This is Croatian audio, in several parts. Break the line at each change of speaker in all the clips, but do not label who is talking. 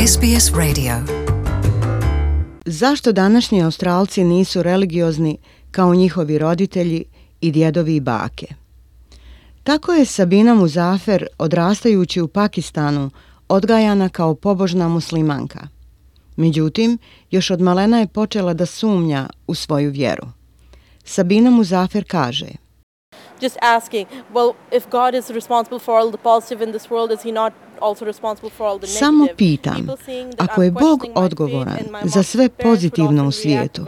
SBS Radio.
Zašto današnji Australci nisu religiozni kao njihovi roditelji i djedovi i bake? Tako je Sabina Muzafer, odrastajući u Pakistanu, odgajana kao pobožna muslimanka. Međutim, još od malena je počela da sumnja u svoju vjeru. Sabina Muzafer kaže:
Just asking, well, if God is responsible for all the positive in this world, is he not also responsible for all the negative?
Samo pitam, ako je Bog odgovoran za sve pozitivno u svijetu,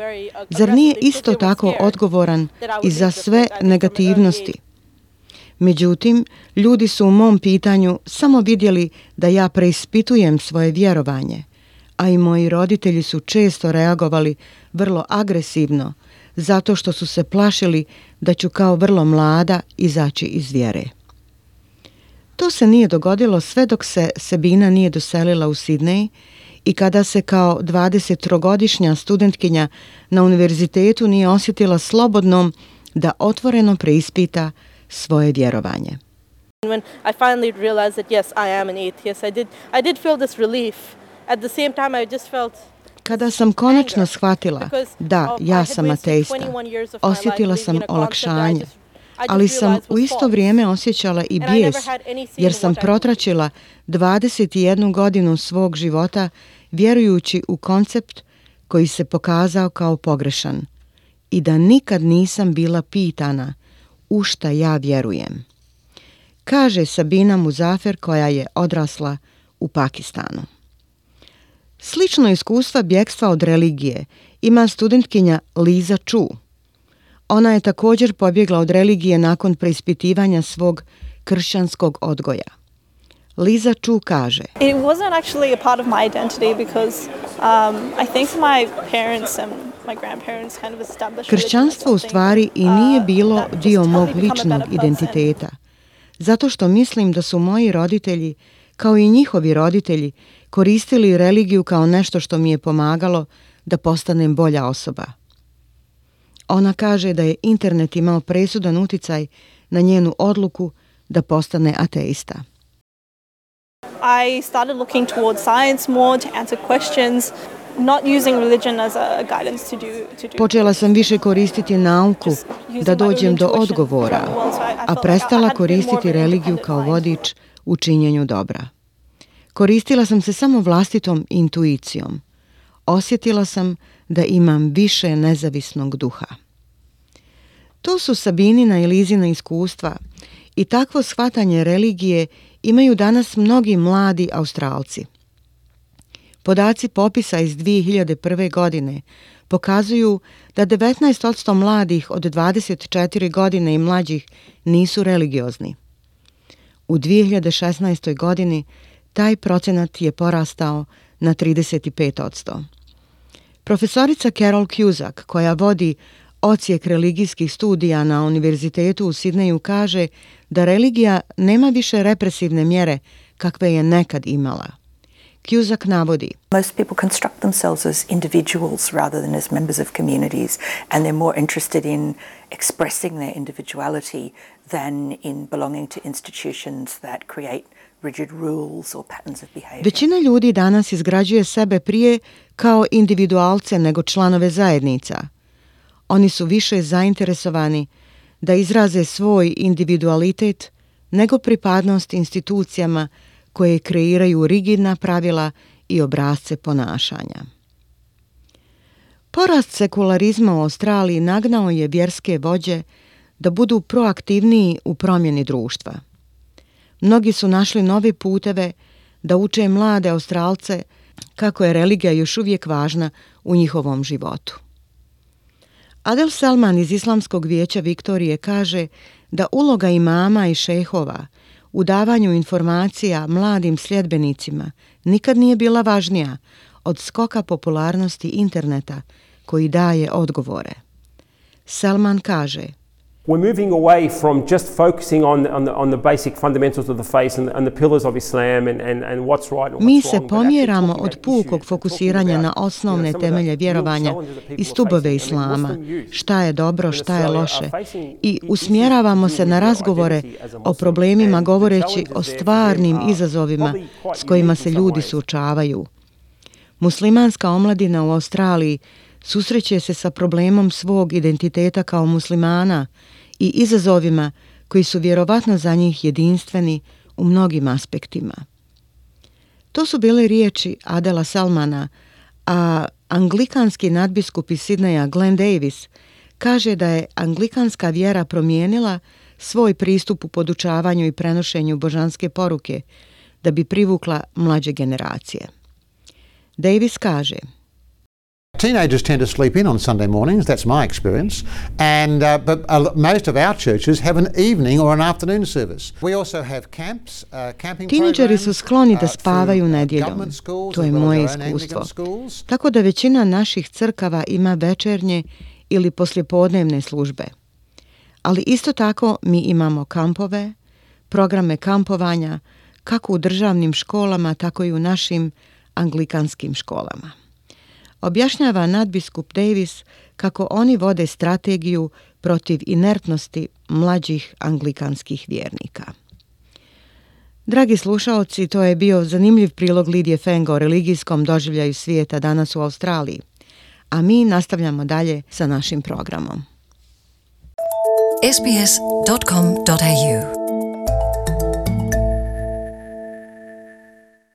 zar nije isto tako odgovoran i za sve negativnosti? Međutim, ljudi su u mom pitanju samo vidjeli da ja preispitujem svoje vjerovanje, a i moji roditelji su često reagovali vrlo agresivno, zato što su se plašili da ću kao vrlo mlada izaći iz vjere. To se nije dogodilo sve dok se Sabina nije doselila u Sidney i kada se kao 23-godišnja studentkinja na univerzitetu nije osjetila slobodnom da otvoreno preispita svoje vjerovanje.
When I finally realized that yes, I am an atheist, I did feel this relief. At the same time, I just felt
Kada sam konačno shvatila da ja sam ateista, osjetila sam olakšanje, ali sam u isto vrijeme osjećala i bijes, jer sam protračila 21 godinu svog života vjerujući u koncept koji se pokazao kao pogrešan i da nikad nisam bila pitana u šta ja vjerujem, kaže Sabina Muzafer, koja je odrasla u Pakistanu. Slično iskustva bjegstva od religije ima studentkinja Liza Chu. Ona je također pobjegla od religije nakon preispitivanja svog kršćanskog odgoja. Liza Chu kaže:
It wasn't actually a part of my identity because I think my parents and my grandparents kind of established
Kršćanstvo u stvari i nije bilo dio mog ličnog identiteta, zato što mislim da su moji roditelji, kao i njihovi roditelji, koristili religiju kao nešto što mi je pomagalo da postanem bolja osoba. Ona kaže da je internet imao presudan utjecaj na njenu odluku da postane ateista.
I started looking towards science more to answer questions, not using religion as a guidance to do.
Počela sam više koristiti nauku da dođem do odgovora, a prestala koristiti religiju kao vodič u činjenju dobra. Koristila sam se samo vlastitom intuicijom. Osjetila sam da imam više nezavisnog duha. To su Sabinina i Lizina iskustva i takvo shvatanje religije imaju danas mnogi mladi Australci. Podaci popisa iz 2001. godine pokazuju da 19% mladih od 24 godine i mlađih nisu religiozni. U 2016. godini taj procenat je porastao na 35%. Profesorica Carol Cusack, koja vodi odsjek religijskih studija na univerzitetu u Sidneju, kaže da religija nema više represivne mjere kakve je nekad imala. Cusack navodi:
Most people construct themselves as individuals rather than as members of communities, and they're more interested in expressing their individuality than in belonging to institutions that create rigid rules or patterns of behavior.
Većina ljudi danas izgrađuje sebe prije kao individualce nego članove zajednica. Oni su više zainteresovani da izraze svoj individualitet nego pripadnost institucijama koje kreiraju rigidna pravila i obrasce ponašanja. Porast sekularizma u Australiji nagnao je vjerske vođe da budu proaktivniji u promjeni društva. Mnogi su našli nove puteve da uče mlade Australce kako je religija još uvijek važna u njihovom životu. Adel Salman iz Islamskog vijeća Viktorije kaže da uloga imama i šejhova u davanju informacija mladim sljedbenicima nikad nije bila važnija od skoka popularnosti interneta koji daje odgovore. Salman kaže:
We're moving away from just focusing on the basic fundamentals of the faith and the pillars of Islam and what's right and what's wrong.
Mi se pomjeramo od pukog fokusiranja na osnovne temelje vjerovanja i stubove Islama, šta je dobro, šta je loše, i usmjeravamo se na razgovore o problemima govoreći o stvarnim izazovima s kojima se ljudi suočavaju, Muslimanska omladina u Australiji susreće se sa problemom svog identiteta kao muslimana i izazovima koji su vjerovatno za njih jedinstveni u mnogim aspektima. To su bile riječi Adela Salmana, a anglikanski nadbiskup iz Sidneja Glenn Davis kaže da je anglikanska vjera promijenila svoj pristup u podučavanju i prenošenju božanske poruke da bi privukla mlađe generacije. Davis kaže:
Teenagers tend to sleep in on Sunday mornings, that's my experience, and but most of our churches have an evening or an afternoon service. We also have camps, camping programs.
Tinejdžeri su skloni da spavaju nedjeljom, to je moje iskustvo. Tako da većina naših crkava ima večernje ili poslijepodnevne službe. Ali isto tako mi imamo kampove, programe kampovanja, kako u državnim školama, tako i u našim anglikanskim školama. Objašnjava nadbiskup Davis kako oni vode strategiju protiv inertnosti mlađih anglikanskih vjernika. Dragi slušaoci, to je bio zanimljiv prilog Lidije Fenga o religijskom doživljaju svijeta danas u Australiji, a mi nastavljamo dalje sa našim programom.
sbs.com.au